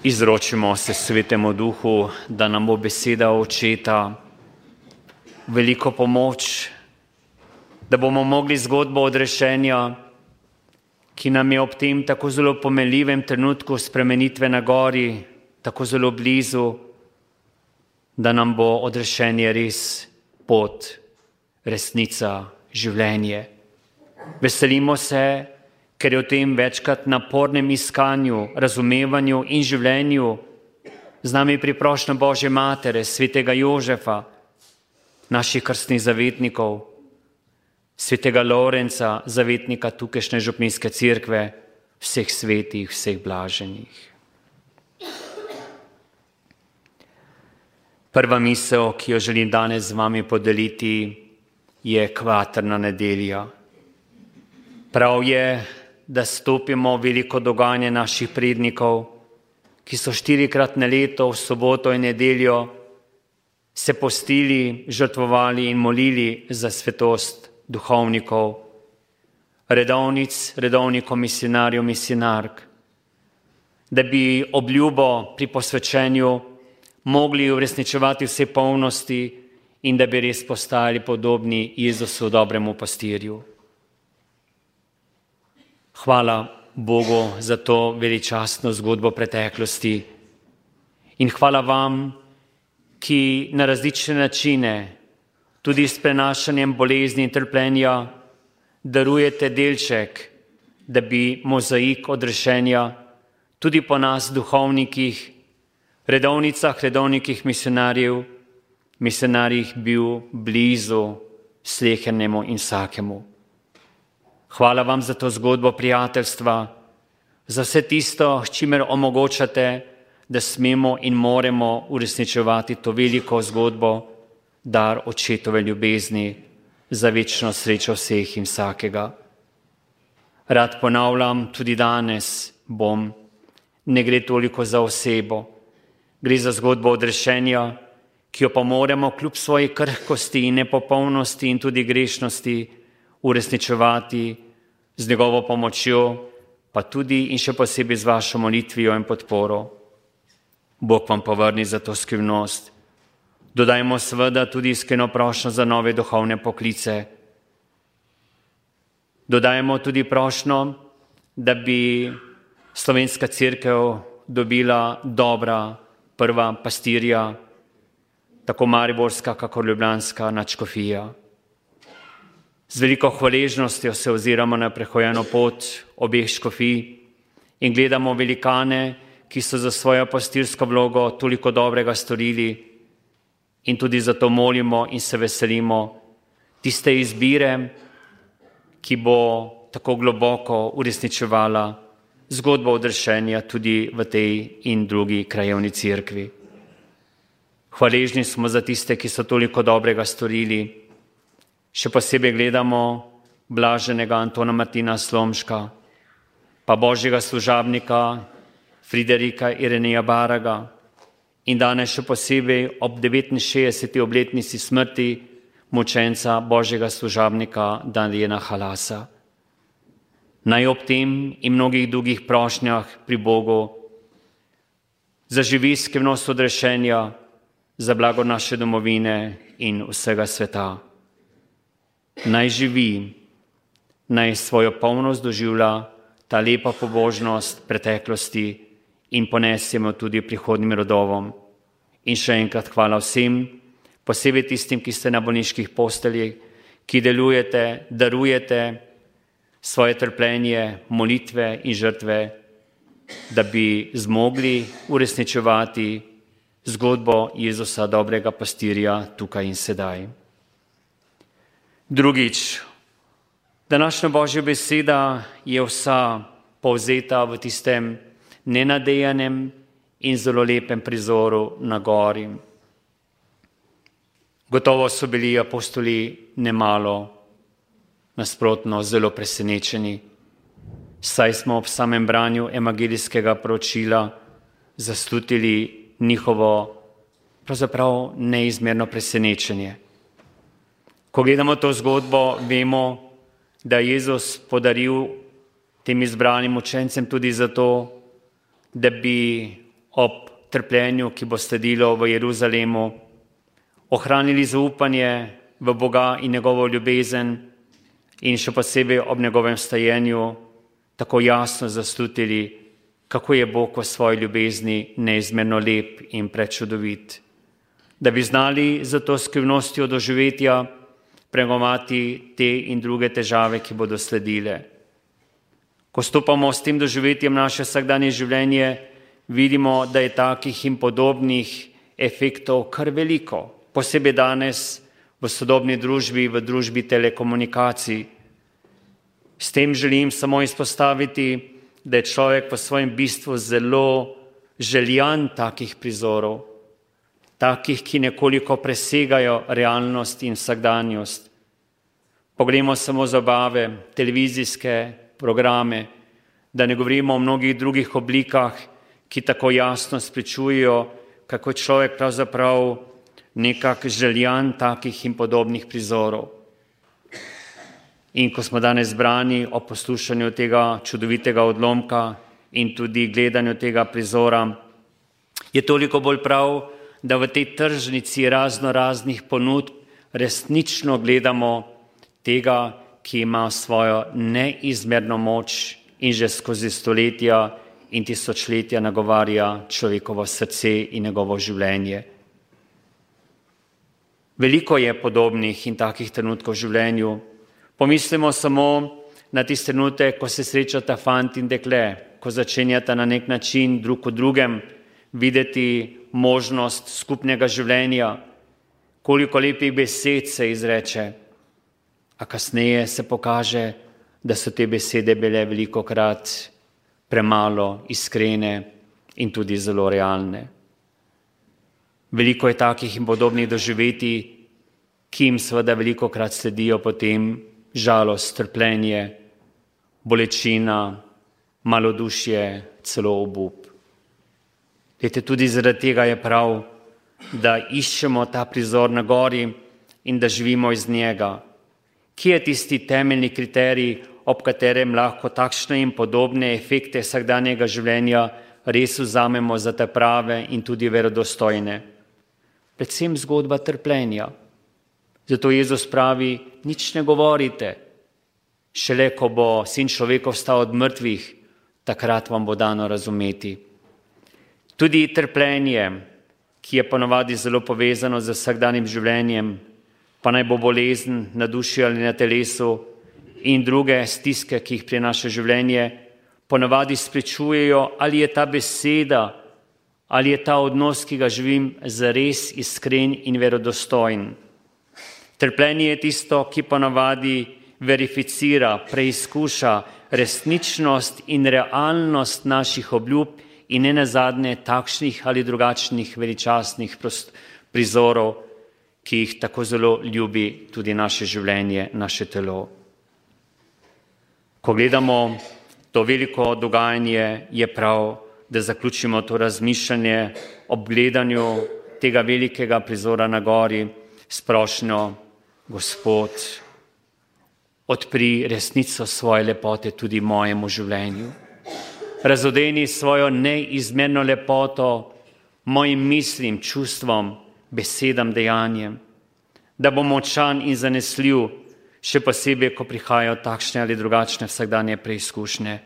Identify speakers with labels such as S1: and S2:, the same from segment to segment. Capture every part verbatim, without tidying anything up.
S1: Izročimo se Svetemu Duhu, da nam bo beseda Očeta veliko pomoč, da bomo mogli zgodbo odrešenja, ki nam je ob tem tako zelo pomenljivem trenutku spremenitve na gori, tako zelo blizu, da nam bo odrešenje res pot, resnica, življenje. Veselimo se, ker je v tem večkrat napornem iskanju, razumevanju in življenju z nami priprošnja Božje Matere, svetega Jožefa, naših krstnih zavetnikov, svetega Lorenca, zavetnika tukajšnje župnijske cerkve, vseh svetih, vseh blaženih. Prva misel, ki jo želim danes z vami podeliti, je kvaterna nedelja. Prav je, da stopimo v veliko dogajanje naših prednikov, ki so štirikrat na leto v soboto in nedeljo se postili, žrtvovali in molili za svetost duhovnikov, redovnic, redovnikov, misionarjev, misionark, da bi obljubo pri posvečenju mogli uresničevati vse polnosti in da bi res postali podobni Jezusu, dobremu pastirju. Hvala Bogu za to veličastno zgodbo preteklosti in hvala vam, ki na različne načine, tudi s prenašanjem bolezni in trpljenja, darujete delček, da bi mozaik odrešenja tudi po nas duhovnikih, redovnicah, redovnikih misionarjev, misionarjih bil blizu slehernemu in vsakemu. Hvala vam za to zgodbo prijateljstva, za vse tisto, s čimer omogočate, da smemo in moremo uresničevati to veliko zgodbo, dar Očetove ljubezni za večno srečo vseh in vsakega. Rad ponavljam, tudi danes bom, ne gre toliko za osebo, gre za zgodbo odrešenja, ki jo pa moramo kljub svoji krhkosti in nepopolnosti in tudi grešnosti uresničevati z njegovo pomočjo, pa tudi in še posebej z vašo molitvijo in podporo. Bog vam povrni za to skrivnost. Dodajmo seveda tudi iskreno prošnjo za nove duhovne poklice. Dodajmo tudi prošnjo, da bi slovenska cerkev dobila dobra prva pastirja, tako mariborska, kakor ljubljanska nadškofija. Z veliko hvaležnostjo se oziramo na prehojeno pot obeh škofij in gledamo velikane, ki so za svojo pastirsko vlogo toliko dobrega storili, in tudi zato molimo in se veselimo tiste izbire, ki bo tako globoko uresničevala zgodbo odrešenja tudi v tej in drugi krajevni cerkvi. Hvaležni smo za tiste, ki so toliko dobrega storili. Še posebej gledamo blaženega Antona Martina Slomška, pa Božjega služabnika Friderika Ireneja Baraga in danes še posebej ob devetinšestdeseti obletnici smrti mučenca Božjega služabnika Daniela Halasa. Naj ob tem in mnogih drugih prošnjah pri Bogu zaživi skrivnost odrešenja za blago naše domovine in vsega sveta. Naj živi, naj svojo polnost doživlja ta lepa pobožnost preteklosti in ponesemo tudi prihodnjim rodovom. In še enkrat hvala vsem, posebej tistim, ki ste na bolniških posteljih, ki delujete, darujete svoje trpljenje, molitve in žrtve, da bi zmogli uresničevati zgodbo Jezusa, dobrega pastirja, tukaj in sedaj. Drugič, današnja Božja beseda je vsa povzeta v tistem nenadejanem in zelo lepem prizoru na gori. Gotovo so bili apostoli nemalo, nasprotno zelo presenečeni, saj smo ob samem branju evangelijskega poročila zaslutili njihovo pravzaprav neizmerno presenečenje. Ko gledamo to zgodbo, vemo, da je Jezus podaril tem izbranim učencem tudi zato, da bi ob trpljenju, ki bo sledilo v Jeruzalemu, ohranili zaupanje v Boga in njegovo ljubezen in še posebej ob njegovem stajenju tako jasno zaslutili, kako je Bog v svoji ljubezni neizmerno lep in prečudovit. Da bi znali za to skrivnostjo doživetja premagovati te in druge težave, ki bodo sledile. Ko stopamo s tem doživetjem naše vsakdanje življenje, vidimo, da je takih in podobnih efektov kar veliko, posebej danes v sodobni družbi, v družbi telekomunikacij. S tem želim samo izpostaviti, da je človek v svojem bistvu zelo željan takih prizorov, takih, ki nekoliko presegajo realnost in vsakdanjost. Poglejmo samo zabave, televizijske programe, da ne govorimo o mnogih drugih oblikah, ki tako jasno spričujejo, kako je človek pravzaprav nekak željan takih in podobnih prizorov. In ko smo danes zbrani o poslušanju tega čudovitega odlomka in tudi gledanju tega prizora, je toliko bolj prav, da v tej tržnici razno raznih ponudb resnično gledamo tega, ki ima svojo neizmerno moč in že skozi stoletja in tisočletja nagovarja človekovo srce in njegovo življenje. Veliko je podobnih in takih trenutkov v življenju. Pomislimo samo na tisti trenutek, ko se srečata fant in dekle, ko začenjata na nek način drug v drugem videti možnost skupnega življenja, koliko lepih besed se izreče, a kasneje se pokaže, da so te besede bile velikokrat premalo iskrene in tudi zelo realne. Veliko je takih in podobnih doživetij, ki jim seveda velikokrat sledijo potem žalost, trpljenje, bolečina, malodušje, celo obup. Glejte, tudi zaradi tega je prav, da iščemo ta prizor na gori in da živimo iz njega. Kje je tisti temeljni kriterij, ob katerem lahko takšne in podobne efekte vsakdanjega življenja res vzamemo za te prave in tudi verodostojne? Predvsem zgodba trpljenja. Zato Jezus pravi, nič ne govorite. Šele ko bo Sin človekov vstal od mrtvih, takrat vam bo dano razumeti. Tudi trpljenje, ki je ponavadi zelo povezano z vsakdanjim življenjem, pa naj bo bolezen na duši ali na telesu in druge stiske, ki jih prinaša življenje, ponavadi spričujejo, ali je ta beseda, ali je ta odnos, ki ga živim, zares iskren in verodostojen. Trpljenje je tisto, ki ponavadi verificira, preizkuša resničnost in realnost naših obljub in ne nazadnje takšnih ali drugačnih veličastnih prizorov, ki jih tako zelo ljubi tudi naše življenje, naše telo. Ko gledamo to veliko dogajanje, je prav, da zaključimo to razmišljanje ob gledanju tega velikega prizora na gori s prošnjo: Gospod, odpri resnico svoje lepote tudi mojemu življenju. Razodeni svojo neizmerno lepoto mojim mislim, čustvom, besedam, dejanjem, da bom močan in zanesljiv, še posebej, ko prihajajo takšne ali drugačne vsakdanje preizkušnje.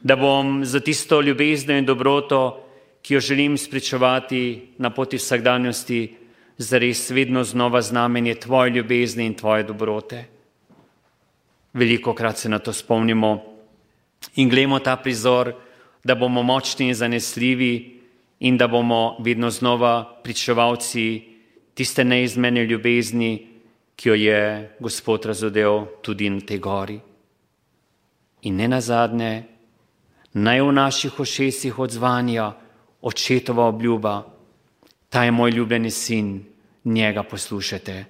S1: Da bom za tisto ljubezno in dobroto, ki jo želim spričevati na poti vsakdanjosti, zares vedno znova znamenje tvoje ljubezni in tvoje dobrote. Velikokrat se na to spomnimo in glejmo ta prizor, da bomo močni in zanesljivi in da bomo vedno znova pričevalci tiste neizmerne ljubezni, ki jo je Gospod razodel tudi na tej gori. In ne nazadnje, naj v naših ušesih odzvanja očetova obljuba: ta je moj ljubljeni sin, njega poslušajte.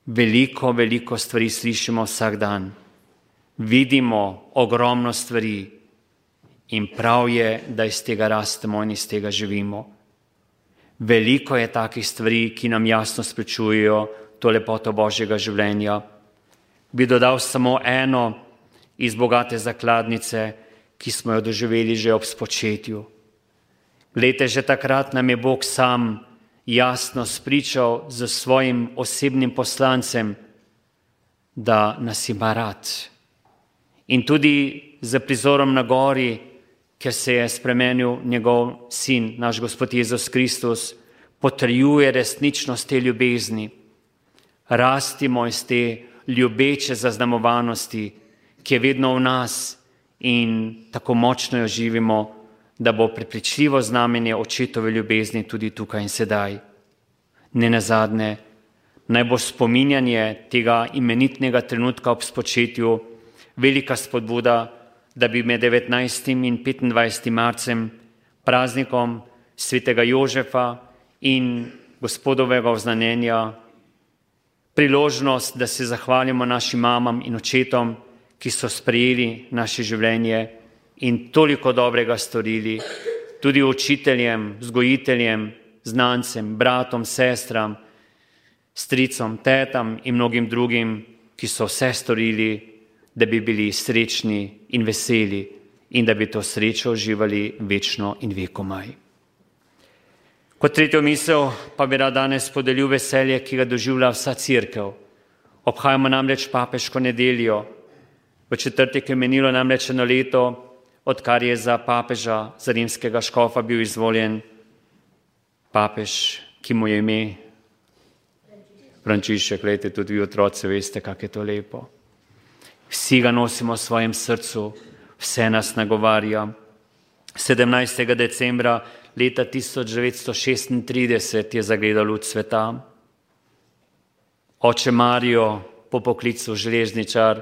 S1: Veliko, veliko stvari slišimo vsak dan. Vidimo ogromno stvari in prav je, da iz tega rastemo in iz tega živimo. Veliko je takih stvari, ki nam jasno spričujejo to lepoto Božjega življenja. Bi dodal samo eno iz bogate zakladnice, ki smo jo doživeli že ob spočetju. Glejte, že takrat nam je Bog sam jasno spričal z svojim osebnim poslancem, da nas ima rad. In tudi za prizorom na gori, ker se je spremenil njegov sin, naš Gospod Jezus Kristus, potrjuje resničnost te ljubezni. Rastimo iz te ljubeče zaznamovanosti, ki je vedno v nas in tako močno jo živimo, da bo prepričljivo znamenje očetove ljubezni tudi tukaj in sedaj. Ne nazadnje, naj bo spominjanje tega imenitnega trenutka ob spočetju velika spodbuda, da bi med devetnajstim in petindvajsetim marcem, praznikom svetega Jožefa in Gospodovega oznanjenja, priložnost, da se zahvalimo našim mamam in očetom, ki so sprejeli naše življenje in toliko dobrega storili, tudi učiteljem, vzgojiteljem, znancem, bratom, sestram, stricom, tetam in mnogim drugim, ki so vse storili, da bi bili srečni in veseli in da bi to srečo uživali večno in vekomaj. Kot tretjo misel pa bi rad danes podelil veselje, ki ga doživlja vsa cerkev. Obhajamo namreč papeško nedeljo. V četrtek je menilo namreč eno leto, odkar je za papeža, za rimskega škofa bil izvoljen papež, ki mu je ime Frančišek. Glejte, tudi vi otroci veste, kako je to lepo. Vsi ga nosimo v svojem srcu, vse nas nagovarja. sedemnajstega decembra leta tisoč devetsto šestintrideset je zagledal luč sveta. Oče Marijo, po poklicu železničar,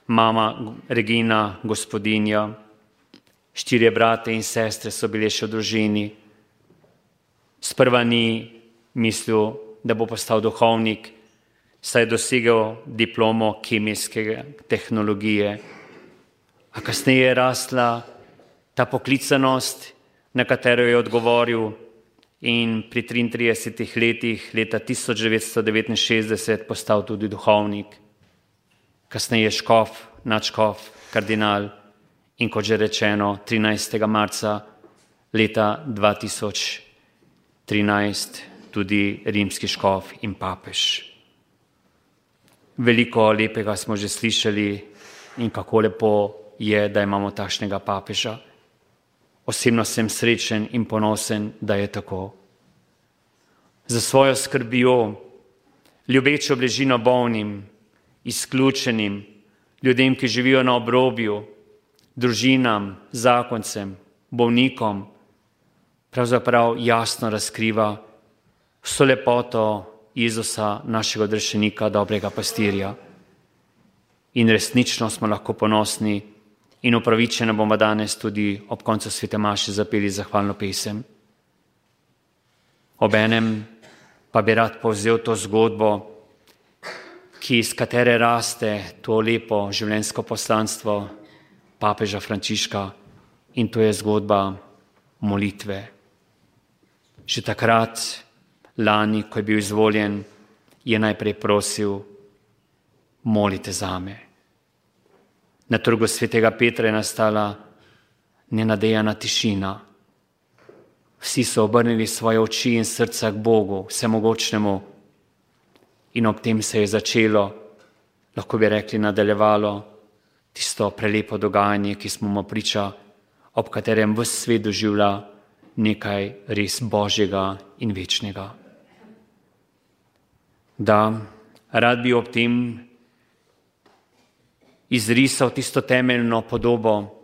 S1: mama Regina, gospodinja, štirje brate in sestre so bile še v družini. Sprva ni mislil, da bo postal duhovnik, saj je dosegel diplomo kemijske tehnologije. A kasneje je rasla ta poklicanost, na katero je odgovoril in pri triintridesetih letih leta tisoč devetsto devetinšestdeset postal tudi duhovnik. Kasneje škof, nadškof, kardinal in kot že rečeno, trinajstega marca leta dva tisoč trinajst tudi rimski škof in papež. Veliko lepega smo že slišali in kako lepo je, da imamo takšnega papeža. Osebno sem srečen in ponosen, da je tako. Za svojo skrbjo, ljubečo bližino bolnim, izključenim, ljudem, ki živijo na obrobju, družinam, zakoncem, bolnikom, pravzaprav jasno razkriva vso lepoto Jezusa, našega odrešenika, dobrega pastirja. In resnično smo lahko ponosni in upravičeno bomo danes tudi ob koncu svete maše zapeli zahvalno pesem. Obenem pa bi rad povzel to zgodbo, ki iz katere raste to lepo življenjsko poslanstvo papeža Frančiška, in to je zgodba molitve. Že takrat, lani, ko je bil izvoljen, je najprej prosil: molite zame. Na trgu svetega Petra je nastala nenadejana tišina. Vsi so obrnili svoje oči in srca k Bogu, vsemogočnemu, in ob tem se je začelo, lahko bi rekli nadaljevalo, tisto prelepo dogajanje, ki smo mu priča, ob katerem ves svet doživlja nekaj res božjega in večnega. Da, rad bi ob tem izrisal tisto temeljno podobo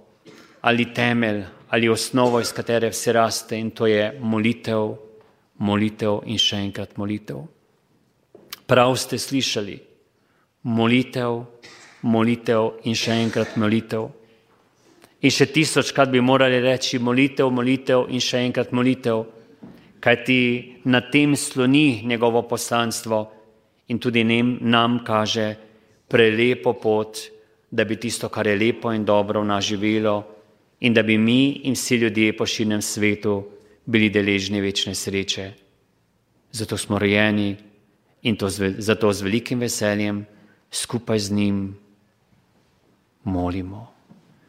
S1: ali temelj ali osnovo, iz katere vse raste, in to je molitev, molitev in še enkrat molitev. Prav ste slišali, molitev, molitev in še enkrat molitev. In še tisočkrat bi morali reči molitev, molitev in še enkrat molitev, kajti na tem sloni njegovo poslanstvo in tudi nam kaže prelepo pot, da bi tisto, kar je lepo in dobro v nas živelo, in da bi mi in vsi ljudje po širnem svetu bili deležni večne sreče. Zato smo rojeni in to z, zato z velikim veseljem skupaj z njim molimo.